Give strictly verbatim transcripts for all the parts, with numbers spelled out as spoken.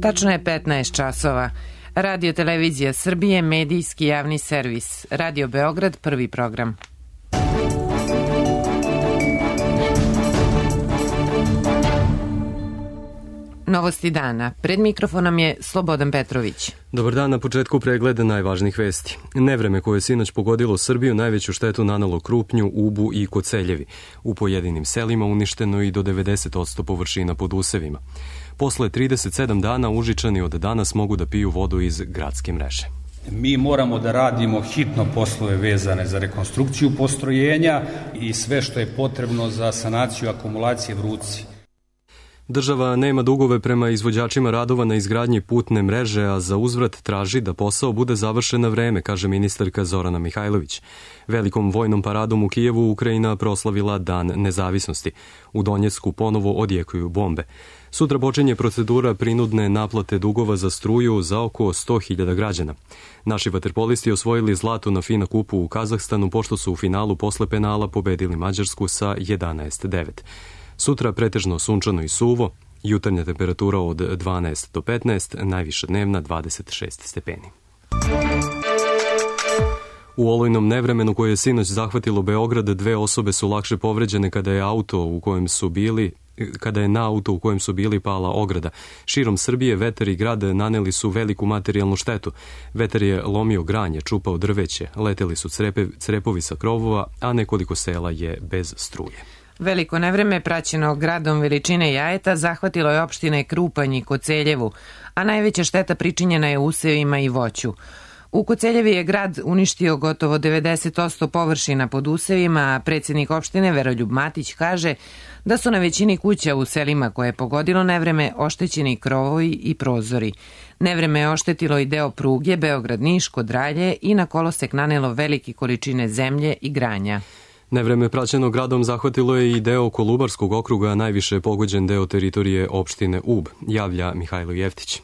Tačno je petnaest časova. Radio Televizija Srbije, medijski javni servis. Radio Beograd, prvi program. Novosti dana. Pred mikrofonom je Slobodan Petrović. Dobar dan, na početku pregleda najvažnijih vesti. Nevreme koje je sinoć pogodilo Srbiju najveću štetu nanelo Krupnju, Ubu i Koceljevi. U pojedinim selima uništeno i do devedeset posto površina pod usevima. Posle trideset sedam dana Užičani od danas mogu da piju vodu iz gradske mreže. Mi moramo da radimo hitno poslove vezane za rekonstrukciju postrojenja i sve što je potrebno za sanaciju akumulacije Vruci. Država nema dugove prema izvođačima radova na izgradnji putne mreže, a za uzvrat traži da posao bude završen na vreme, kaže ministarka Zorana Mihajlović. Velikom vojnom paradom u Kijevu Ukrajina proslavila Dan nezavisnosti. U Donjecku ponovo odjekuju bombe. Sutra počinje procedura prinudne naplate dugova za struju za oko sto hiljada građana. Naši vaterpolisti osvojili zlato na FINA kupu u Kazahstanu, pošto su u finalu posle penala pobedili Mađarsku sa jedanaest devet. Sutra pretežno sunčano i suvo, jutarnja temperatura od dvanaest do petnaest, najviša dnevna dvadeset šest stepeni. U olujnom nevremenu koje je sinoć zahvatilo Beograd, dve osobe su lakše povređene kada je auto u kojem su bili kada je na auto u kojem su bili pala ograda. Širom Srbije vetar i grad naneli su veliku materijalnu štetu. Vetar je lomio granje, čupao drveće, leteli su crepe, crepovi sa krovova, a nekoliko sela je bez struje. Veliko nevreme praćeno gradom veličine Jajeta zahvatilo je opštine Krupanj i Koceljevu, a najveća šteta pričinjena je usevima i voću. U Koceljevi je grad uništio gotovo devedeset posto površina pod usevima, a predsjednik opštine Veroljub Matić kaže da su na većini kuća u selima koje je pogodilo nevreme oštećeni krovovi i prozori. Nevreme je oštetilo i deo pruge Beograd-Niš kod Ralje i na kolosek nanelo velike količine zemlje i granja. Nevreme praćeno gradom zahvatilo je i deo Kolubarskog okruga, najviše pogođen deo teritorije opštine Ub, javlja Mihajlo Jeftić.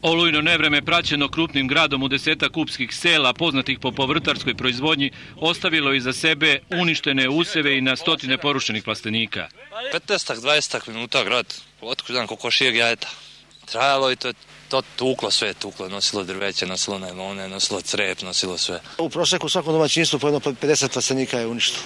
Olujno nevreme praćeno krupnim gradom u desetak kupskih sela poznatih po povrtarskoj proizvodnji ostavilo iza sebe uništene useve i na stotine porušenih plastenika. petnaest do dvadeset minuta grad, otkud znam koliko šijeg Jajeta. Trajalo i to, to tuklo sve, tuklo, nosilo drveće, nosilo najlone, nosilo crep, nosilo sve. U prosjeku u svakom domaćinstvu po jedno pedeset plastenika je uništeno.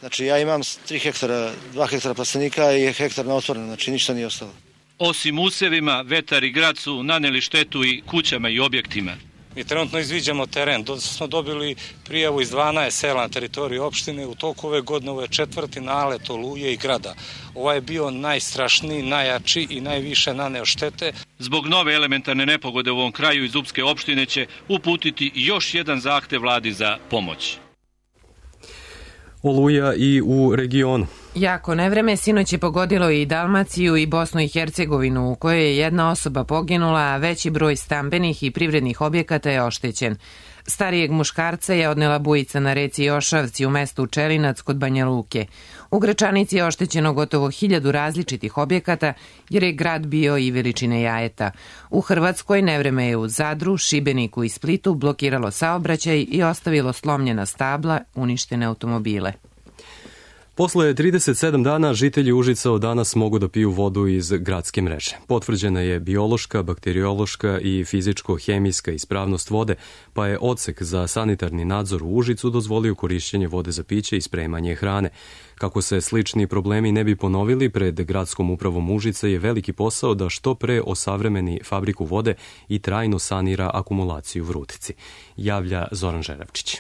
Znači ja imam tri hektara, dva hektara plastenika i hektar na otvorenom, znači ništa nije ostalo. Osim usevima, vetar i grad su naneli štetu i kućama i objektima. Mi trenutno izviđamo teren. Do, smo dobili prijavu iz dvanaest sela na teritoriji opštine. U toku ove godine ovo je četvrti nalet Oluje i grada. Ovaj je bio najstrašniji, najjači i najviše naneo štete. Zbog nove elementarne nepogode u ovom kraju iz Upske opštine će uputiti još jedan zahtev vladi za pomoć. Oluja i u regionu. Jako nevreme sinoć je pogodilo i Dalmaciju i Bosnu i Hercegovinu, u kojoj je jedna osoba poginula, a veći broj stambenih i privrednih objekata je oštećen. Starijeg muškarca je odnela bujica na reci Jošavci u mestu Čelinac kod Banja Luke. U Gračanici je oštećeno gotovo hiljadu različitih objekata, jer je grad bio i veličine Jajeta. U Hrvatskoj nevreme je u Zadru, Šibeniku i Splitu blokiralo saobraćaj i ostavilo slomljena stabla, uništene automobile. Posle trideset sedam dana žitelji Užica od danas mogu da piju vodu iz gradske mreže. Potvrđena je biološka, bakteriološka i fizičko-hemijska ispravnost vode, pa je odsek za sanitarni nadzor u Užicu dozvolio korišćenje vode za piće i spremanje hrane. Kako se slični problemi ne bi ponovili, pred gradskom upravom Užica je veliki posao da što pre osavremeni fabriku vode i trajno sanira akumulaciju u Vrutici, javlja Zoran Žeravčić.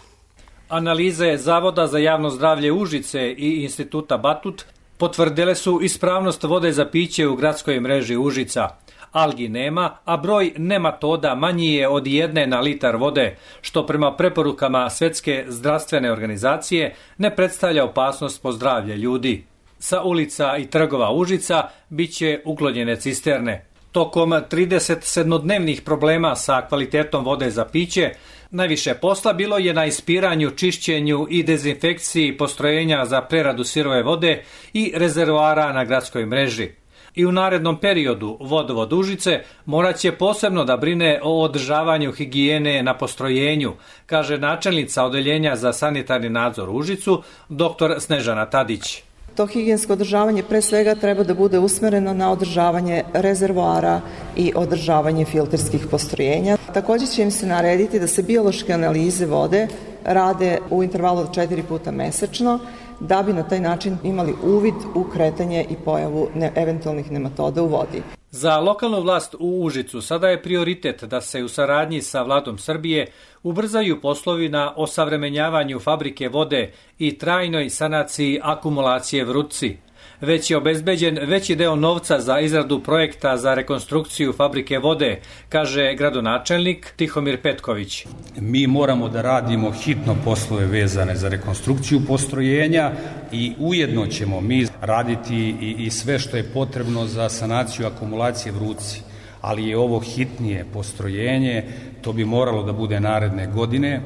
Analize Zavoda za javno zdravlje Užice i Instituta Batut potvrdile su ispravnost vode za piće u gradskoj mreži Užica. Algi nema, a broj nematoda manji je od jedne na litar vode, što prema preporukama Svetske zdravstvene organizacije ne predstavlja opasnost po zdravlje ljudi. Sa ulica i trgova Užica biće uklonjene cisterne. Tokom trideset sedmodnevnih problema sa kvalitetom vode za piće, najviše posla bilo je na ispiranju, čišćenju i dezinfekciji postrojenja za preradu sirove vode i rezervoara na gradskoj mreži. I u narednom periodu Vodovod Užice morat će posebno da brine o održavanju higijene na postrojenju, kaže načelnica Odeljenja za sanitarni nadzor u Užicu, doktor Snežana Tadić. To higijensko održavanje pre svega treba da bude usmereno na održavanje rezervoara i održavanje filterskih postrojenja. Takođe će im se narediti da se biološke analize vode rade u intervalu od četiri puta mesečno, da bi na taj način imali uvid u kretanje i pojavu ne, eventualnih nematoda u vodi. Za lokalnu vlast u Užicu sada je prioritet da se u saradnji sa vladom Srbije ubrzaju poslovi na osavremenjavanju fabrike vode i trajnoj sanaciji akumulacije Vrutci. Već je obezbeđen veći deo novca za izradu projekta za rekonstrukciju fabrike vode, kaže gradonačelnik Tihomir Petković. Mi moramo da radimo hitno poslove vezane za rekonstrukciju postrojenja i ujedno ćemo mi raditi i, i sve što je potrebno za sanaciju akumulacije Vrutci. Ali je ovo hitnije postrojenje, to bi moralo da bude naredne godine.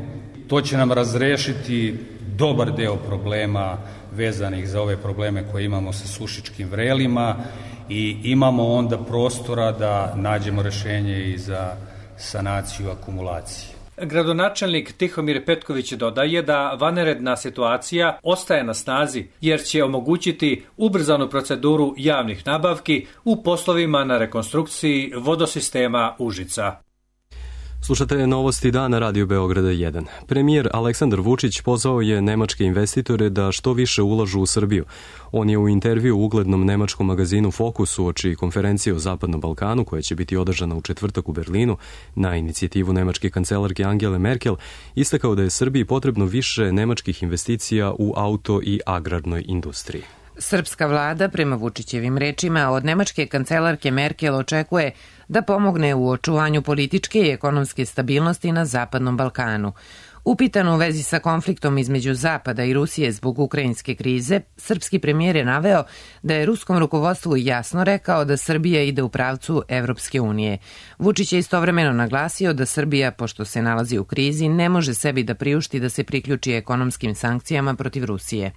To će nam razrešiti dobar deo problema vezanih za ove probleme koje imamo sa sušičkim vrelima i imamo onda prostora da nađemo rešenje i za sanaciju akumulacije. Gradonačelnik Tihomir Petković dodaje da vanredna situacija ostaje na snazi jer će omogućiti ubrzanu proceduru javnih nabavki u poslovima na rekonstrukciji vodosistema Užica. Slušate novosti dana Radio Beograda jedan. Premijer Aleksandar Vučić pozvao je nemačke investitore da što više ulažu u Srbiju. On je u intervju u uglednom nemačkom magazinu Fokus uoči konferencije o Zapadnom Balkanu, koja će biti održana u četvrtak u Berlinu, na inicijativu nemačke kancelarke Angele Merkel, istakao da je Srbiji potrebno više nemačkih investicija u auto i agrarnoj industriji. Srpska vlada, prema Vučićevim rečima, od nemačke kancelarke Merkel očekuje da pomogne u očuvanju političke i ekonomske stabilnosti na Zapadnom Balkanu. Upitan u vezi sa konfliktom između Zapada i Rusije zbog ukrajinske krize, srpski premijer je naveo da je ruskom rukovodstvu jasno rekao da Srbija ide u pravcu Evropske unije. Vučić je istovremeno naglasio da Srbija, pošto se nalazi u krizi, ne može sebi da priušti da se priključi ekonomskim sankcijama protiv Rusije.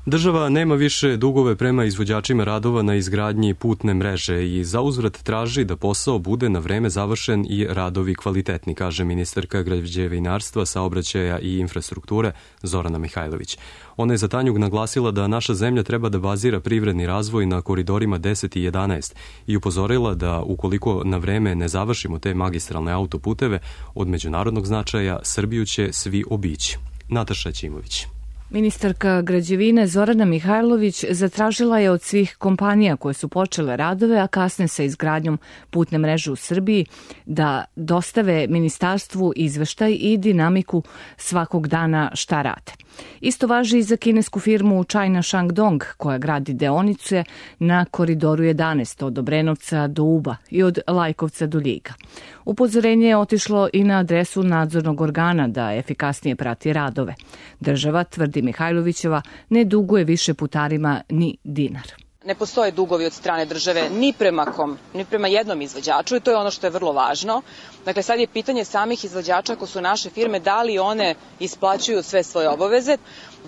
Država nema više dugove prema izvođačima radova na izgradnji putne mreže i zauzvrat traži da posao bude na vreme završen i radovi kvalitetni, kaže ministarka građevinarstva, saobraćaja i infrastrukture Zorana Mihajlović. Ona je za Tanjug naglasila da naša zemlja treba da bazira privredni razvoj na koridorima deset i jedanaest i upozorila da ukoliko na vreme ne završimo te magistralne autoputeve od međunarodnog značaja, Srbiju će svi obići. Nataša Ćimović. Ministarka građevine Zorana Mihajlović zatražila je od svih kompanija koje su počele radove, a kasne sa izgradnjom putne mreže u Srbiji, da dostave ministarstvu izveštaj i dinamiku svakog dana šta rade. Isto važi i za kinesku firmu China Shandong, koja gradi deonice na koridoru jedanaest od Obrenovca do Uba i od Lajkovca do Ljiga. Upozorenje je otišlo i na adresu nadzornog organa da efikasnije prati radove. Država, tvrdi Mihajlovićeva, ne duguje više putarima ni dinar. Ne postoje dugovi od strane države ni prema kom, ni prema jednom izvođaču i to je ono što je vrlo važno. Dakle, sad je pitanje samih izvođača, ako su naše firme, da li one isplaćuju sve svoje obaveze.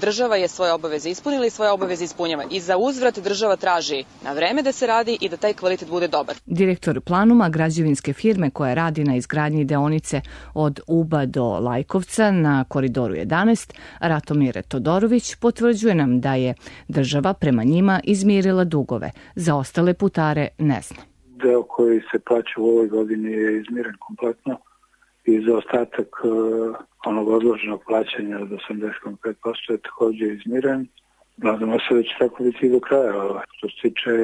Država je svoje obaveze ispunila i svoje obaveze ispunjava. I za uzvrat država traži na vreme da se radi i da taj kvalitet bude dobar. Direktor Planuma, građevinske firme koja radi na izgradnji deonice od Uba do Lajkovca na koridoru jedanaest, Ratomir Todorović, potvrđuje nam da je država prema njima izmirila dugove. Za ostale putare ne zna. Deo koji se plaća u ovoj godini je izmiren kompletno i za ostatak onog odloženog plaćanja od osamdeset zarez pet posto je takođe izmiren. Nadamo se da će tako biti i do kraja. Što se tiče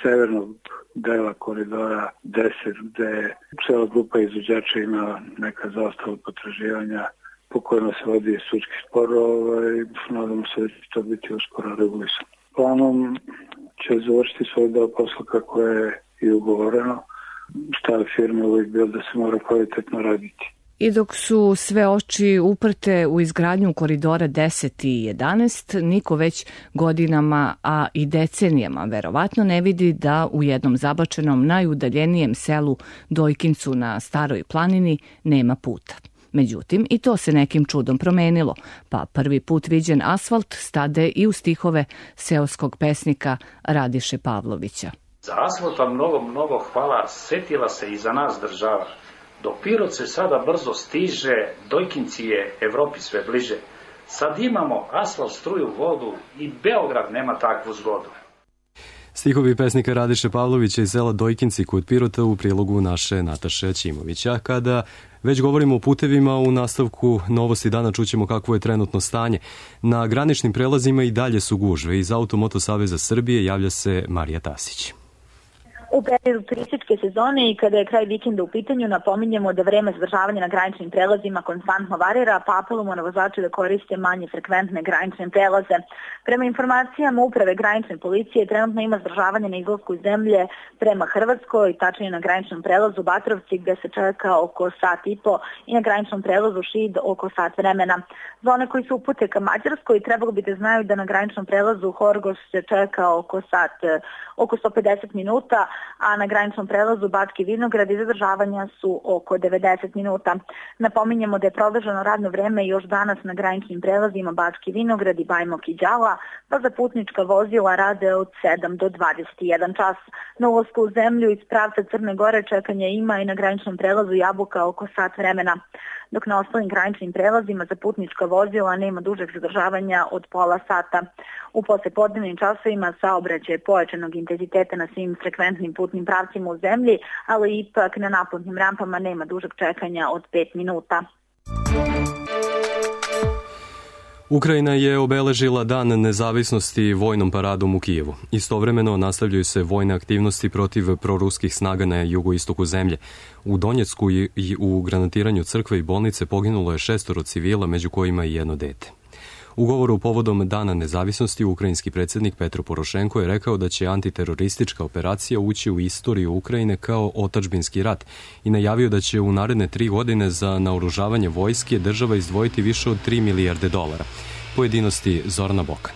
severnog dela koridora deset, gde cela grupa izvođača ima neka zaostala potraživanja po kojima se vodi sudski spor, ovaj, nadamo se da će to biti uskoro regulisano. Planom će završiti svoj deo posla kako je i ugovoreno. Stav firme uvijek bio da se mora kvalitetno raditi. I dok su sve oči uprte u izgradnju koridora deset i jedanaest, niko već godinama, a i decenijama verovatno ne vidi da u jednom zabačenom najudaljenijem selu Dojkincu na Staroj planini nema puta. Međutim, i to se nekim čudom promenilo, pa prvi put viđen asfalt stade i u stihove seoskog pesnika Radiše Pavlovića. Za asfalt vam mnogo, mnogo hvala, setila se i za nas država. Do Pirot se sada brzo stiže, Dojkinci je Evropi sve bliže. Sad imamo asfalt, struju, vodu i Beograd nema takvu zgodu. Stihovi pesnika Radiše Pavlovića iz sela Dojkinci kod Pirota u prilogu naše Nataše Ćimovića. Kada već govorimo o putevima, u nastavku Novosti dana čućemo kakvo je trenutno stanje. Na graničnim prelazima i dalje su gužve. Iz Automoto Saveza Srbije javlja se Marija Tasić. U periodu turističke sezone i kada je kraj vikenda u pitanju, napominjemo da vreme zadržavanja na graničnim prelazima konstantno varira, pa apelujemo na vozače da koriste manje frekventne granične prelaze. Prema informacijama Uprave granične policije, trenutno ima zadržavanje na izlasku iz zemlje prema Hrvatskoj, tačnije na graničnom prelazu Batrovci gde se čeka oko sat i po i na graničnom prelazu Šid oko sat vremena. Za one koji su upute ka Mađarskoj trebalo bi da znaju da na graničnom prelazu Horgoš se čeka oko sat, oko sto pedeset minuta, a na graničnom prelazu Bački Vinograd i zadržavanja su oko devedeset minuta. Napominjemo da je produženo radno vreme još danas na graničnim prelazima Bački Vinograd i Bajmok i Đala, pa za putnička vozila rade od sedam do dvadeset jedan čas. Na ulasku u zemlju iz pravca Crne Gore čekanje ima i na graničnom prelazu Jabuka oko sat vremena, dok na ostalim graničnim prelazima za putnička vozila nema dužeg zadržavanja od pola sata. U poslepodnevnim časovima saobraćaj pojačanog intenziteta na svim frekventnim putnim pravcima u zemlji, ali ipak na naplatnim rampama nema dužeg čekanja od pet minuta. Ukrajina je obeležila Dan nezavisnosti vojnom paradom u Kijevu. Istovremeno nastavljaju se vojne aktivnosti protiv proruskih snaga na jugoistoku zemlje. U Donjecku i u granatiranju crkve i bolnice poginulo je šestoro civila, među kojima i jedno dete. U govoru povodom Dana nezavisnosti ukrajinski predsjednik Petro Porošenko je rekao da će antiteroristička operacija ući u istoriju Ukrajine kao otadžbinski rat i najavio da će u naredne tri godine za naoružavanje vojske država izdvojiti više od tri milijarde dolara. Pojedinosti Zorana Bokan.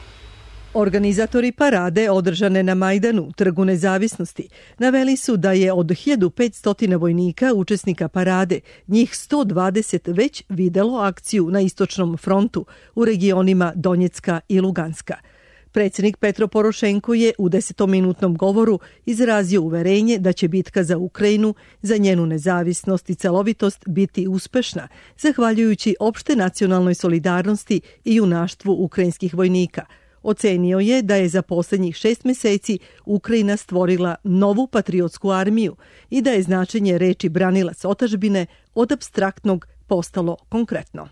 Organizatori parade održane na Majdanu, Trgu nezavisnosti, naveli su da je od hiljadu petsto vojnika učesnika parade, njih sto dvadeset već videlo akciju na istočnom frontu u regionima Donjecka i Luganska. Predsjednik Petro Porošenko je u desetominutnom govoru izrazio uverenje da će bitka za Ukrajinu, za njenu nezavisnost i celovitost biti uspešna, zahvaljujući opšte nacionalnoj solidarnosti i junaštvu ukrajinskih vojnika. Ocenio je da je za posljednjih šest meseci Ukrajina stvorila novu patriotsku armiju i da je značenje reči branilac otadžbine od apstraktnog postalo konkretno.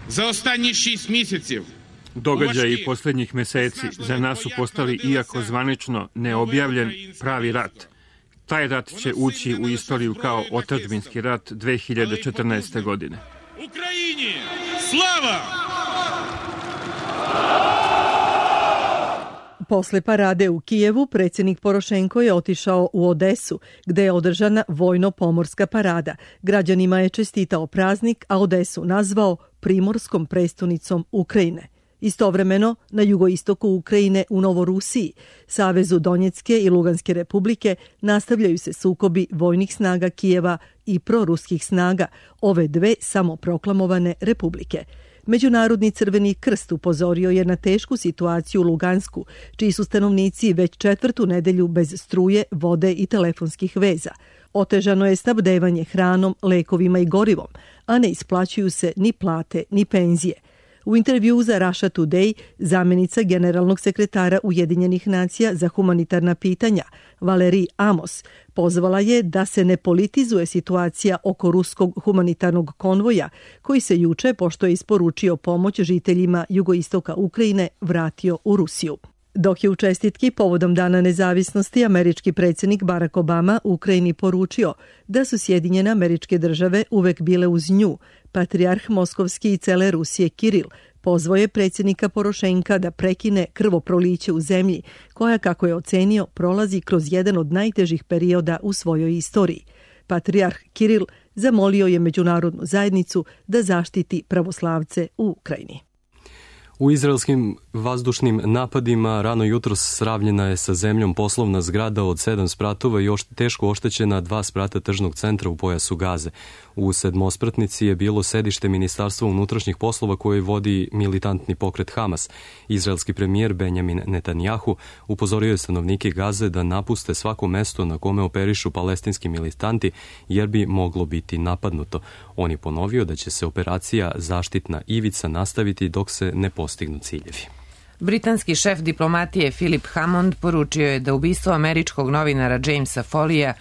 Za ostatnjih šest mjesecev događaji posljednjih meseci za nas su postali, iako zvanično neobjavljen, pravi rat. Taj rat će ući u istoriju kao otadžbinski rat dve hiljade četrnaeste. godine. Ukrajini, slava! Posle parade u Kijevu, predsjednik Porošenko je otišao u Odesu, gde je održana vojno-pomorska parada. Građanima je čestitao praznik, a Odesu nazvao primorskom prestonicom Ukrajine. Istovremeno, na jugoistoku Ukrajine u Novorusiji, Savezu Donjecke i Luganske republike, nastavljaju se sukobi vojnih snaga Kijeva i proruskih snaga, ove dve samoproklamovane republike. Međunarodni Crveni krst upozorio je na tešku situaciju u Lugansku, čiji su stanovnici već četvrtu nedelju bez struje, vode i telefonskih veza. Otežano je snabdevanje hranom, lekovima i gorivom, a ne isplaćuju se ni plate ni penzije. U intervju za Russia Today, zamjenica generalnog sekretara Ujedinjenih nacija za humanitarna pitanja, Valerij Amos, pozvala je da se ne politizuje situacija oko ruskog humanitarnog konvoja, koji se juče, pošto je isporučio pomoć žiteljima jugoistoka Ukrajine, vratio u Rusiju. Dok je u čestitki povodom Dana nezavisnosti američki predsjednik Barack Obama Ukrajini poručio da su Sjedinjene Američke Države uvek bile uz nju, patrijarh Moskovski i cele Rusije Kiril pozvao je predsjednika Porošenka da prekine krvoproliće u zemlji, koja, kako je ocenio, prolazi kroz jedan od najtežih perioda u svojoj istoriji. Patrijarh Kiril zamolio je međunarodnu zajednicu da zaštiti pravoslavce u Ukrajini. U izraelskim vazdušnim napadima rano jutros sravnjena je sa zemljom poslovna zgrada od sedam spratova i ošte, teško oštećena dva sprata tržnog centra u pojasu Gaze. U sedmospratnici je bilo sedište Ministarstva unutrašnjih poslova koje vodi militantni pokret Hamas. Izraelski premijer Benjamin Netanjahu upozorio je stanovnike Gaze da napuste svako mesto na kome operišu palestinski militanti jer bi moglo biti napadnuto. On je ponovio da će se operacija Zaštitna ivica nastaviti dok se ne postignu ciljevi. Britanski šef diplomatije Philip Hammond poručio je da ubistvo američkog novinara Jamesa Folleya,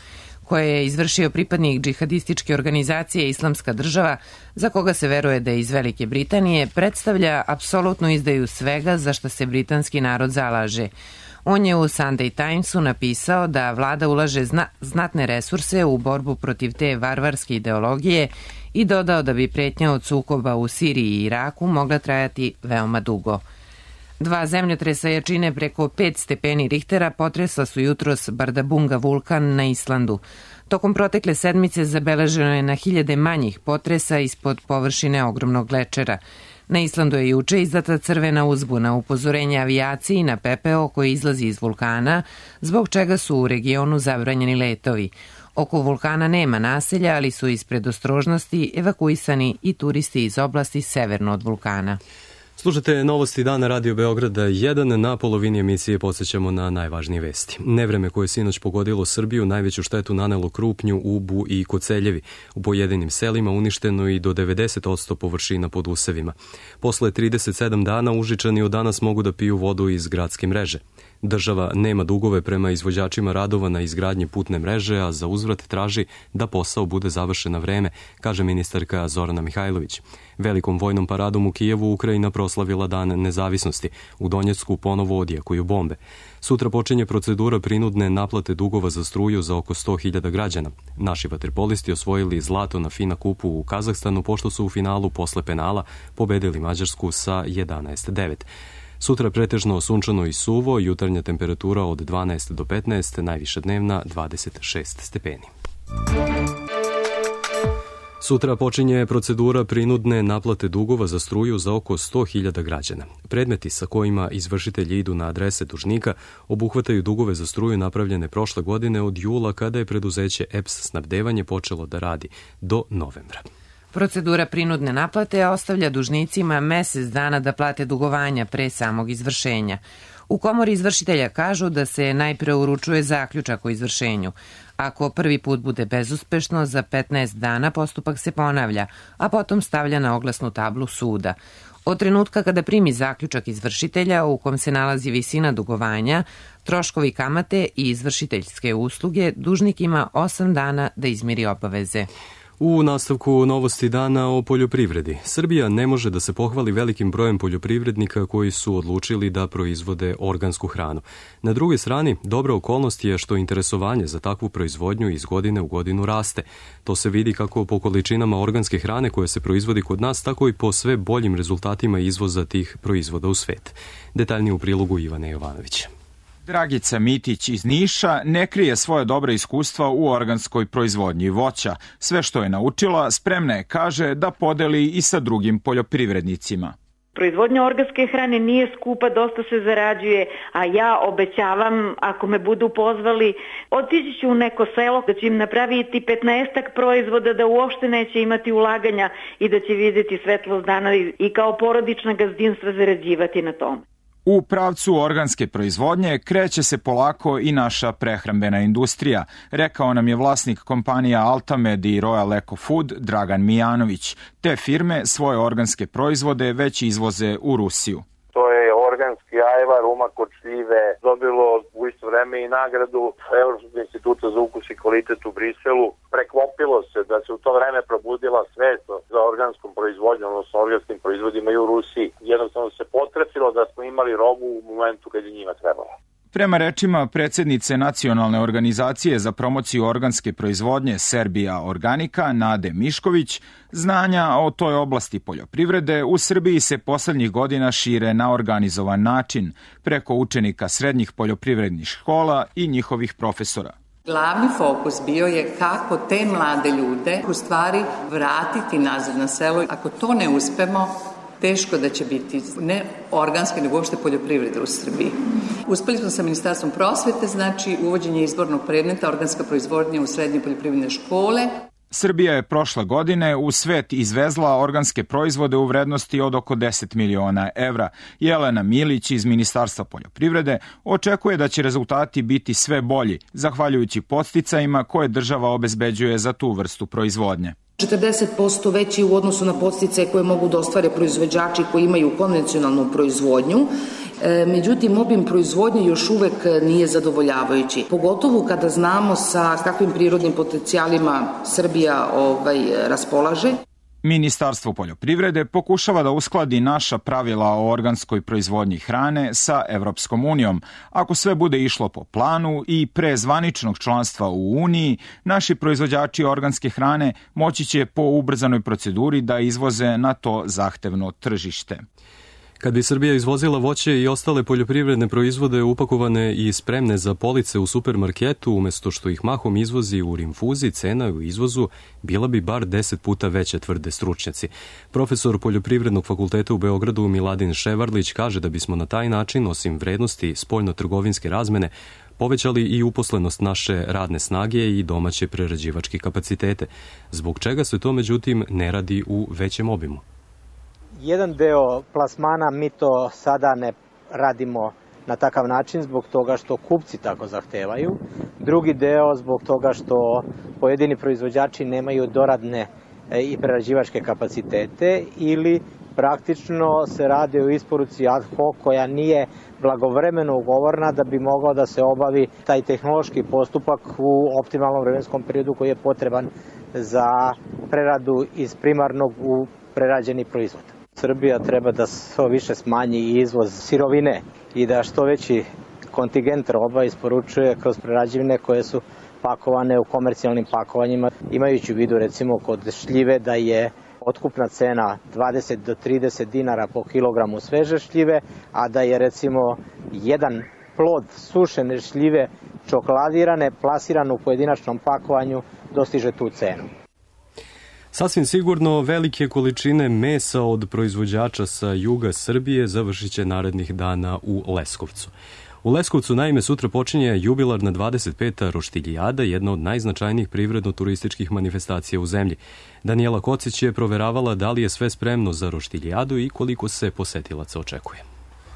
koje je izvršio pripadnik džihadističke organizacije Islamska država, za koga se veruje da je iz Velike Britanije, predstavlja apsolutnu izdaju svega za što se britanski narod zalaže. On je u Sunday Timesu napisao da vlada ulaže zna, znatne resurse u borbu protiv te varvarske ideologije i dodao da bi pretnja od sukoba u Siriji i Iraku mogla trajati veoma dugo. Dva zemljotresa jačine preko pet stepeni Richtera potresla su jutros Bardabunga vulkan na Islandu. Tokom protekle sedmice zabeleženo je na hiljade manjih potresa ispod površine ogromnog glečera. Na Islandu je juče izdata crvena uzbuna, upozorenje avijaciji na pepeo koji izlazi iz vulkana, zbog čega su u regionu zabranjeni letovi. Oko vulkana nema naselja, ali su iz predostrožnosti evakuisani i turisti iz oblasti severno od vulkana. Slušate novosti dana Radio Beograda jedan. Na polovini emisije podsjećamo na najvažnije vesti. Nevreme koje je sinoć pogodilo Srbiju najveću štetu nanelo Krupnju, Ubu i Koceljevi. U pojedinim selima uništeno i do devedeset posto površina pod usevima. Posle trideset sedam dana Užičani od danas mogu da piju vodu iz gradske mreže. Država nema dugove prema izvođačima radova na izgradnji putne mreže, a za uzvrat traži da posao bude završen na vreme, kaže ministarka Zorana Mihajlović. Velikom vojnom paradom u Kijevu Ukrajina proslavila Dan nezavisnosti. U Donjecku ponovo odjekuju bombe. Sutra počinje procedura prinudne naplate dugova za struju za oko sto hiljada građana. Naši vaterpolisti osvojili zlato na FINA kupu u Kazahstanu, pošto su u finalu posle penala pobedili Mađarsku sa jedanaest devet. Sutra pretežno sunčano i suvo, jutarnja temperatura od dvanaest do petnaest, najviša dnevna dvadeset šest stepeni. Sutra počinje procedura prinudne naplate dugova za struju za oko sto hiljada građana. Predmeti sa kojima izvršitelji idu na adrese dužnika obuhvataju dugove za struju napravljene prošle godine od jula, kada je preduzeće E P S snabdevanje počelo da radi, do novembra. Procedura prinudne naplate ostavlja dužnicima mesec dana da plate dugovanja pre samog izvršenja. U komori izvršitelja kažu da se najpre uručuje zaključak o izvršenju. Ako prvi put bude bezuspešno, za petnaest dana postupak se ponavlja, a potom stavlja na oglasnu tablu suda. Od trenutka kada primi zaključak izvršitelja u kom se nalazi visina dugovanja, troškovi kamate i izvršiteljske usluge, dužnik ima osam dana da izmiri obaveze. U nastavku novosti dana o poljoprivredi. Srbija ne može da se pohvali velikim brojem poljoprivrednika koji su odlučili da proizvode organsku hranu. Na drugoj strani, dobra okolnost je što interesovanje za takvu proizvodnju iz godine u godinu raste. To se vidi kako po količinama organske hrane koje se proizvodi kod nas, tako i po sve boljim rezultatima izvoza tih proizvoda u svet. Detaljnije u prilogu Ivane Jovanovića. Dragica Mitić iz Niša ne krije svoje dobre iskustva u organskoj proizvodnji voća. Sve što je naučila, spremna je, kaže, da podeli i sa drugim poljoprivrednicima. Proizvodnja organske hrane nije skupa, dosta se zarađuje, a ja obećavam, ako me budu pozvali, otići ću u neko selo da će im napraviti petnaestak proizvoda, da uopšte neće imati ulaganja i da će vidjeti svetlost dana i kao porodična gazdinstva zarađivati na tome. U pravcu organske proizvodnje kreće se polako i naša prehrambena industrija, rekao nam je vlasnik kompanija Altamed i Royal Eco Food Dragan Mijanović. Te firme svoje organske proizvode već izvoze u Rusiju. To je organski ajvar, umak od šljive, dobilo u isto vreme i nagradu Evropskog instituta za ukus i kvalitet u Briselu. Preklopilo se da se u to vreme probudila svest za organskom proizvodnjom, odnosno organskim proizvodima i u Rusiji. Jednostavno se potrefilo da smo imali robu u momentu kad je njima trebalo. Prema rečima predsjednice Nacionalne organizacije za promociju organske proizvodnje Serbia Organika, Nade Mišković, znanja o toj oblasti poljoprivrede u Srbiji se poslednjih godina šire na organizovan način, preko učenika srednjih poljoprivrednih škola i njihovih profesora. Glavni fokus bio je kako te mlade ljude u stvari vratiti nazad na selo. Ako to ne uspemo, Teško da će biti ne organske, nego uopšte poljoprivrede u Srbiji. Uspeli smo sa Ministarstvom prosvete, znači uvođenje izbornog predmeta organska proizvodnja u srednje poljoprivredne škole. Srbija je prošle godine u svet izvezla organske proizvode u vrednosti od oko deset miliona evra. Jelena Milić iz Ministarstva poljoprivrede očekuje da će rezultati biti sve bolji, zahvaljujući podsticajima koje država obezbeđuje za tu vrstu proizvodnje. četrdeset posto veći u odnosu na podsticaje koje mogu da ostvare proizvođači koji imaju konvencionalnu proizvodnju. Međutim, obim proizvodnje još uvek nije zadovoljavajući. Pogotovo kada znamo sa kakvim prirodnim potencijalima Srbija ovaj, raspolaže. Ministarstvo poljoprivrede pokušava da uskladi naša pravila o organskoj proizvodnji hrane sa Evropskom unijom. Ako sve bude išlo po planu i pre zvaničnog članstva u Uniji, naši proizvođači organske hrane moći će po ubrzanoj proceduri da izvoze na to zahtevno tržište. Kad bi Srbija izvozila voće i ostale poljoprivredne proizvode upakovane i spremne za police u supermarketu, umesto što ih mahom izvozi u rinfuzi, cena u izvozu bila bi bar deset puta veća, tvrde stručnjaci. Profesor Poljoprivrednog fakulteta u Beogradu Miladin Ševarlić kaže da bismo na taj način, osim vrednosti spoljno-trgovinske razmene, povećali i uposlenost naše radne snage i domaće prerađivačke kapacitete, zbog čega se to međutim ne radi u većem obimu. Jedan deo plasmana mi to sada ne radimo na takav način zbog toga što kupci tako zahtevaju. Drugi deo zbog toga što pojedini proizvođači nemaju doradne i prerađivačke kapacitete ili praktično se radi o isporuci ad hoc koja nije blagovremeno ugovorna da bi mogao da se obavi taj tehnološki postupak u optimalnom vremenskom periodu koji je potreban za preradu iz primarnog u prerađeni proizvod. Srbija treba da što više smanji izvoz sirovine i da što veći kontingent roba isporučuje kroz prerađevine koje su pakovane u komercijalnim pakovanjima, imajući u vidu recimo kod šljive da je otkupna cena dvadeset do trideset dinara po kilogramu sveže šljive, a da je recimo jedan plod sušene šljive čokoladirane, plasiran u pojedinačnom pakovanju, dostiže tu cenu. Sasvim sigurno velike količine mesa od proizvođača sa juga Srbije završit će narednih dana u Leskovcu. U Leskovcu naime sutra počinje jubilarna dvadeset peta roštiljijada, jedna od najznačajnijih privredno-turističkih manifestacija u zemlji. Danijela Kocić je proveravala da li je sve spremno za roštiljijadu i koliko se posetilaca očekuje.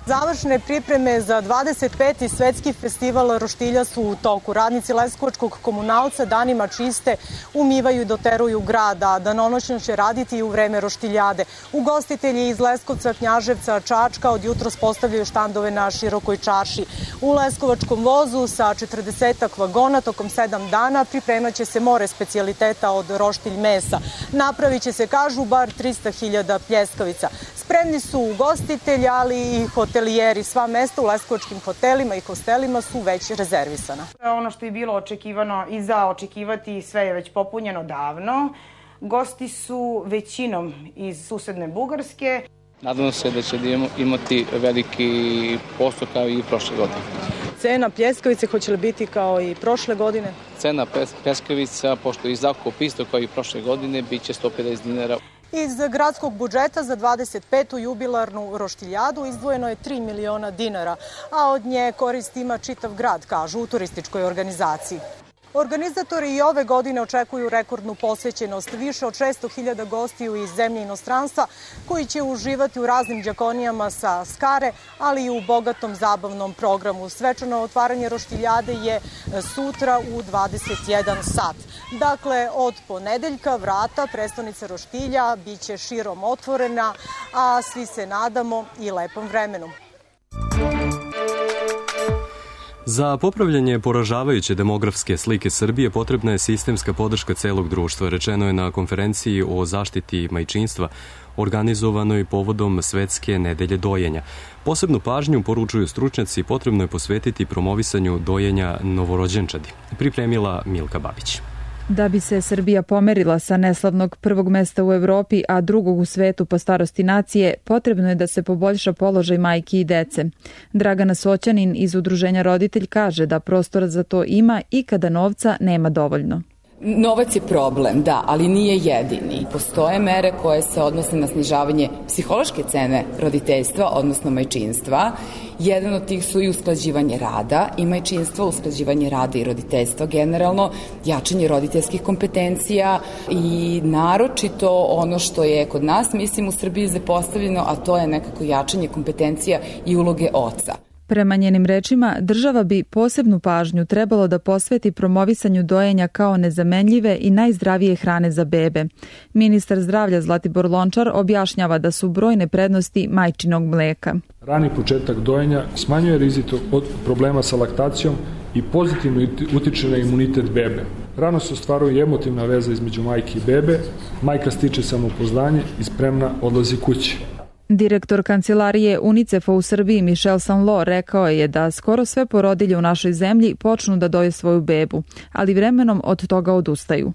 Završne pripreme za dvadeset peti svetski festival roštilja su u toku. Radnici Leskovačkog komunalca danima čiste, umivaju i doteruju grad, a danonoćno će raditi i u vreme roštiljade. Ugostitelji iz Leskovca, Knjaževca, Čačka od jutros postavljaju štandove na širokoj čarši. U Leskovačkom vozu sa četrdesetak vagona tokom sedam dana pripremat će se more specijaliteta od roštilj mesa. Napravit će se, kažu, bar trista hiljada pljeskavica. Spremni su ugostitelji, ali i hotelijeri. Sva mesta u leskovačkim hotelima i hostelima su već rezervisana. Ono što je bilo očekivano i za očekivati, sve je već popunjeno davno. Gosti su većinom iz susedne Bugarske. Nadamo se da će imati veliki posao kao i prošle godine. Cena pljeskavice hoće li biti kao i prošle godine? Cena pljeskavica, pošto je zakup isto kao i prošle godine, bit će sto pedeset dinara. Iz gradskog budžeta za dvadeset petu jubilarnu roštiljadu izdvojeno je tri miliona dinara, a od nje korist ima čitav grad, kažu u turističkoj organizaciji. Organizatori i ove godine očekuju rekordnu posvećenost, više od šesto hiljada gostiju iz zemlje i inostranstva koji će uživati u raznim đakonijama sa Skare, ali i u bogatom zabavnom programu. Svečano otvaranje roštiljade je sutra u dvadeset jedan sat. Dakle, od ponedeljka vrata prestonice roštilja biće širom otvorena, a svi se nadamo i lepom vremenu. Za popravljanje poražavajuće demografske slike Srbije potrebna je sistemska podrška celog društva, rečeno je na konferenciji o zaštiti majčinstva organizovanoj povodom Svetske nedelje dojenja. Posebnu pažnju, poručuju stručnjaci, potrebno je posvetiti promovisanju dojenja novorođenčadi, pripremila Milka Babić. Da bi se Srbija pomerila sa neslavnog prvog mesta u Evropi, a drugog u svetu po starosti nacije, potrebno je da se poboljša položaj majki i dece. Dragana Soćanin iz Udruženja Roditelj kaže da prostora za to ima i kada novca nema dovoljno. Novac je problem, da, ali nije jedini. Postoje mere koje se odnose na snižavanje psihološke cene roditeljstva, odnosno majčinstva. Jedan od tih su i usklađivanje rada i majčinstva, usklađivanje rada i roditeljstva generalno, jačanje roditeljskih kompetencija i naročito ono što je kod nas, mislim, u Srbiji zapostavljeno, a to je nekako jačanje kompetencija i uloge oca. Prema njenim rečima, država bi posebnu pažnju trebalo da posveti promovisanju dojenja kao nezamenljive i najzdravije hrane za bebe. Ministar zdravlja Zlatibor Lončar objašnjava da su brojne prednosti majčinog mleka. Rani početak dojenja smanjuje rizik od problema sa laktacijom i pozitivno utiče na imunitet bebe. Rano se ostvaruje emotivna veza između majke i bebe, majka stiče samopouzdanje i spremna odlazi kući. Direktor kancelarije UNICEF-a u Srbiji Michel Sanlo rekao je da skoro sve porodilje u našoj zemlji počnu da doje svoju bebu, ali vremenom od toga odustaju.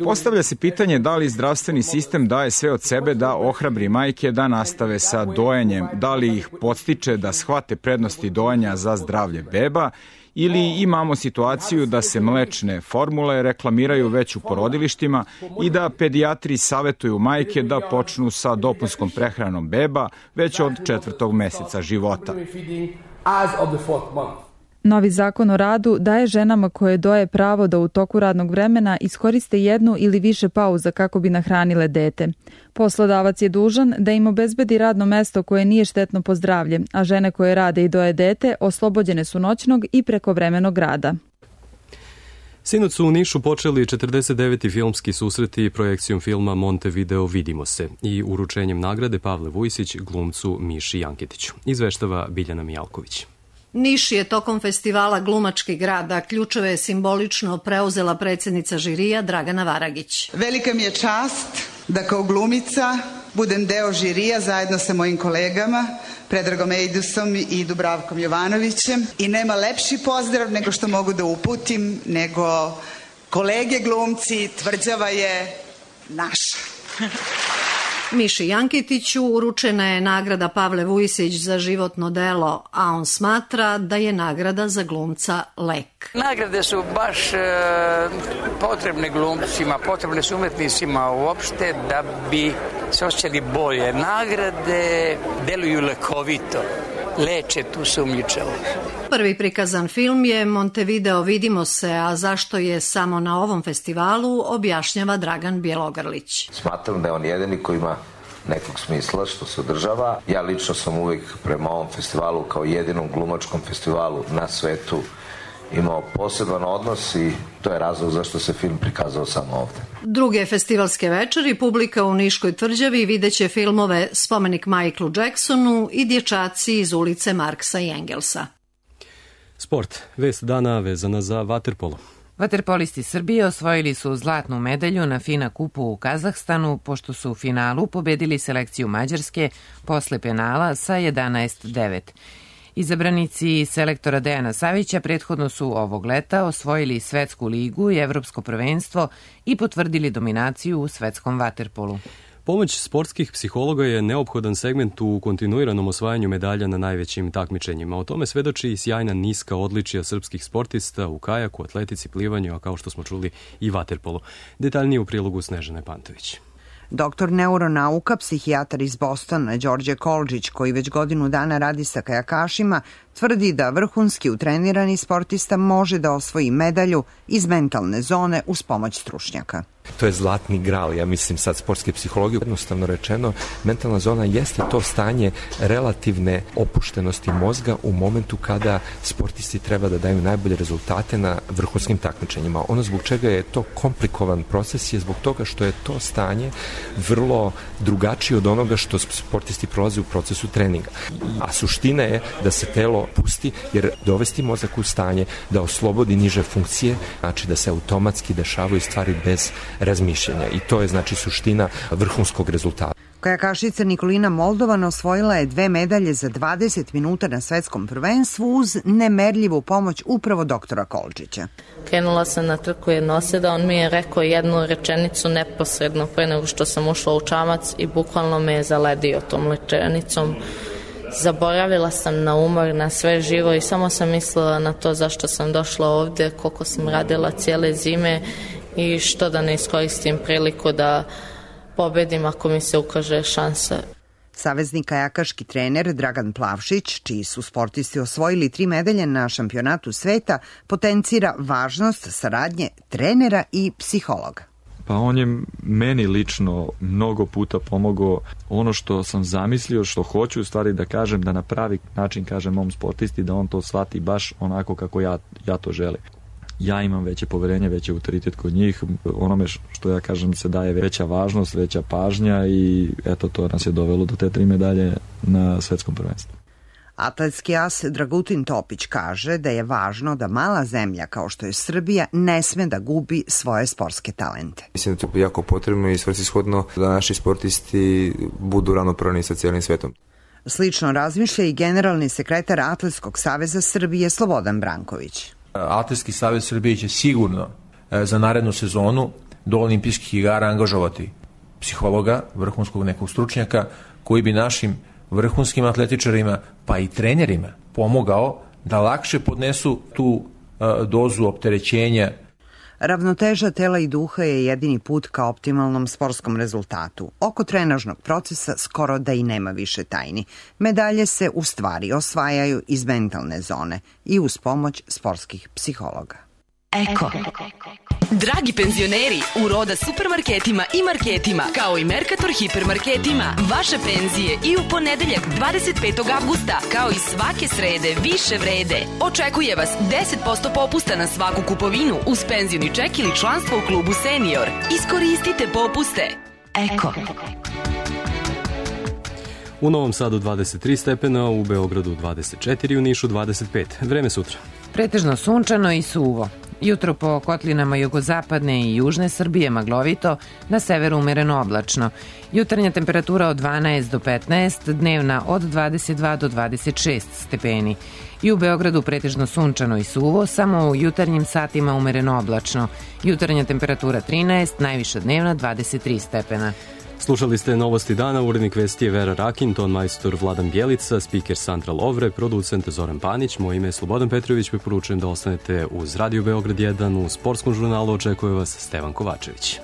Postavlja se pitanje da li zdravstveni sistem daje sve od sebe da ohrabri majke da nastave sa dojenjem, da li ih podstiče da shvate prednosti dojenja za zdravlje beba, ili imamo situaciju da se mlečne formule reklamiraju već u porodilištima i da pedijatri savetuju majke da počnu sa dopunskom prehranom beba već od četvrtog meseca života. Novi zakon o radu daje ženama koje doje pravo da u toku radnog vremena iskoriste jednu ili više pauza kako bi nahranile dete. Poslodavac je dužan da im obezbedi radno mesto koje nije štetno po zdravlje, a žene koje rade i doje dete oslobođene su noćnog i prekovremenog rada. Sinoć su u Nišu počeli četrdeset deveti filmski susreti projekcijom filma Montevideo Vidimo se i uručenjem nagrade Pavle Vujsić glumcu Miši Janketiću. Izveštava Biljana Mijalković. Niš je tokom festivala Glumački grad, a ključeve je simbolično preuzela predsjednica žirija Dragana Varagić. Velika mi je čast da kao glumica budem deo žirija zajedno sa mojim kolegama Predragom Ejdusom i Dubravkom Jovanovićem i nema lepši pozdrav nego što mogu da uputim nego kolege glumci, tvrđava je naša. Miši Janketiću uručena je nagrada Pavle Vujsić za životno delo, a on smatra da je nagrada za glumca lek. Nagrade su baš e, potrebne glumcima, potrebne su umetnicima uopšte da bi se osjećali bolje. Nagrade deluju lekovito, leče tu sumnjičavost. Prvi prikazan film je Montevideo Vidimo se, a zašto je samo na ovom festivalu objašnjava Dragan Bjelogrlić. Smatram da je on jedini koji ima nekog smisla što se održava. Ja lično sam uvijek prema ovom festivalu kao jedinom glumačkom festivalu na svetu imao poseban odnos i to je razlog zašto se film prikazao samo ovde. Druge festivalske večeri publika u Niškoj tvrđavi videće filmove Spomenik Michaelu Jacksonu i Dječaci iz ulice Marksa i Engelsa. Sport. Vest dana vezana za vaterpolo. Vaterpolisti Srbije osvojili su zlatnu medalju na FINA kupu u Kazahstanu, pošto su u finalu pobedili selekciju Mađarske posle penala sa jedanaest devet. Izabranici selektora Dejana Savića prethodno su ovog leta osvojili Svetsku ligu i Evropsko prvenstvo i potvrdili dominaciju u svetskom vaterpolu. Pomoć sportskih psihologa je neophodan segment u kontinuiranom osvajanju medalja na najvećim takmičenjima. O tome svedoči i sjajna niska odličija srpskih sportista u kajaku, atletici, plivanju, a kao što smo čuli i vaterpolu. Detaljnije u prilogu Snežane Pantović. Doktor neuronauka, psihijatar iz Bostona, Đorđe Kolđić, koji već godinu dana radi sa kajakašima, tvrdi da vrhunski utrenirani sportista može da osvoji medalju iz mentalne zone uz pomoć stručnjaka. To je zlatni gral, ja mislim sad sportske psihologije. Jednostavno rečeno, mentalna zona jeste to stanje relativne opuštenosti mozga u momentu kada sportisti treba da daju najbolje rezultate na vrhunskim takmičenjima. Ono zbog čega je to komplikovan proces je zbog toga što je to stanje vrlo drugačije od onoga što sportisti prolaze u procesu treninga. A suština je da se telo pusti, jer dovesti mozak u stanje da oslobodi niže funkcije, znači da se automatski dešavaju stvari bez razmišljanja i to je znači suština vrhunskog rezultata. Kajakašica Nikolina Moldovan osvojila je dve medalje za dvadeset minuta na svetskom prvenstvu uz nemerljivu pomoć upravo doktora Kolčića. Krenula sam na trku jednoseda, on mi je rekao jednu rečenicu neposredno pre nego što sam ušla u čamac i bukvalno me je zaledio tom rečenicom. zaboravila sam na umor, na sve živo i samo sam mislila na to zašto sam došla ovde, koliko sam radila cijele zime i što da ne iskoristim priliku da pobedim ako mi se ukaže šansa. Savezni kajakaški trener Dragan Plavšić, čiji su sportisti osvojili tri medalje na šampionatu sveta, potencira važnost saradnje trenera i psihologa. Pa on je meni lično mnogo puta pomogao ono što sam zamislio, što hoću u stvari da kažem, da na pravi način kažem mom sportisti, da on to shvati baš onako kako ja, ja to želim. Ja imam veće poverenje, veći autoritet kod njih, onome što ja kažem se daje veća važnost, veća pažnja i eto to nas je dovelo do te tri medalje na svetskom prvenstvu. Atletski as Dragutin Topić kaže da je važno da mala zemlja kao što je Srbija ne sme da gubi svoje sportske talente. Mislim da je to jako potrebno i svrsishodno da naši sportisti budu ravnopravni sa cijelim svetom. Slično razmišlja i generalni sekretar Atletskog saveza Srbije Slobodan Branković. Atletski savez Srbije će sigurno za narednu sezonu do olimpijskih igara angažovati psihologa, vrhunskog nekog stručnjaka koji bi našim vrhunskim atletičarima pa i trenerima pomogao da lakše podnesu tu dozu opterećenja. Ravnoteža tela i duha je jedini put ka optimalnom sportskom rezultatu. Oko trenažnog procesa skoro da i nema više tajni. Medalje se u stvari osvajaju iz mentalne zone i uz pomoć sportskih psihologa. Eko. Dragi penzioneri, u Roda supermarketima i marketima, kao i Mercator hipermarketima, vaše penzije i u ponedeljak dvadeset petog avgusta, kao i svake srede, više vrede. Očekuje vas deset posto popusta na svaku kupovinu uz penzioni ček ili članstvo u klubu Senior. Iskoristite popuste. Eko. U Novom Sadu dvadeset tri stepena, u Beogradu dvadeset četiri, u Nišu dvadeset pet. Vreme sutra. Pretežno sunčano i suvo. Jutro po kotlinama jugozapadne i južne Srbije maglovito, na severu umereno oblačno. Jutarnja temperatura od dvanaest do petnaest, dnevna od dvadeset dva do dvadeset šest stepeni. I u Beogradu pretežno sunčano i suvo, samo u jutarnjim satima umereno oblačno. Jutarnja temperatura trinaest, najviša dnevna dvadeset tri stepena. Slušali ste Novosti dana, urednik vesti je Vera Rakin, ton majstor Vladan Bjelica, spiker Sandra Lovre, producent Zoran Panić, moje ime je Slobodan Petrović, preporučujem da ostanete uz Radio Beograd jedan, u sportskom žurnalu očekuje vas Stevan Kovačević.